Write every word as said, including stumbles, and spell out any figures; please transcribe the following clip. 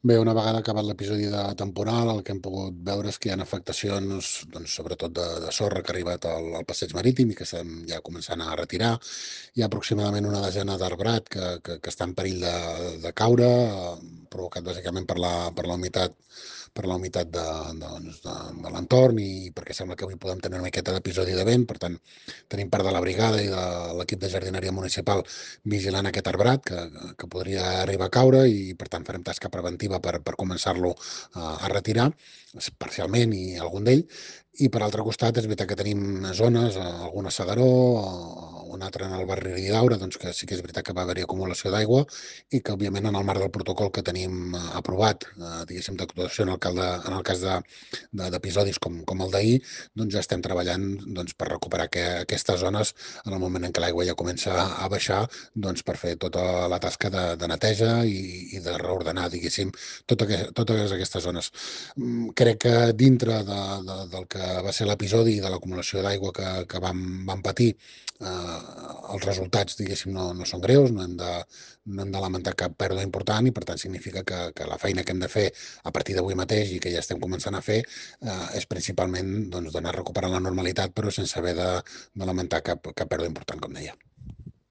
Bé, una vegada acabat l'episodi de temporal, el que hem pogut veure és que hi ha afectacions, doncs, sobretot de, de sorra que ha arribat al, al passeig marítim i que estem ja començant a retirar. Hi ha aproximadament una desena d'arbrat que, que, que està en perill de, de caure, eh, provocat bàsicament per la, per la humitat per la humitat de, de, doncs, de, de l'entorn i perquè sembla que avui podem tenir una miqueta d'episodi de vent, per tant, tenim part de la brigada i de l'equip de jardineria municipal vigilant aquest arbrat que, que podria arribar a caure i, per tant, farem tasca preventiva per, per començar-lo a, a retirar parcialment i algun d'ell. I per altre costat, és veritat que tenim zones, eh, alguna a Segaró, o una altra en el barri Ridaura, doncs que sí que és veritat que va haver-hi acumulació d'aigua i que, òbviament, en el marc del protocol que tenim eh, aprovat, eh, diguéssim, d'actuació en el, cal de, en el cas de- de- d'episodis com, com el d'ahir, doncs ja estem treballant doncs, per recuperar que, aquestes zones en el moment en què l'aigua ja comença a baixar, doncs per fer tota la tasca de, de neteja i, i de reordenar, diguéssim, tot aqu totes aquestes zones. Mm, Crec que dintre de, de, del que va ser l'episodi i de l'acumulació d'aigua que, que vam, vam patir, eh, els resultats, diguéssim, no, no són greus, no hem de, no hem de lamentar cap pèrdua important i, per tant, significa que, que la feina que hem de fer a partir d'avui mateix i que ja estem començant a fer eh, és principalment doncs, d'anar recuperant la normalitat, però sense haver de, de lamentar cap, cap pèrdua important, com deia.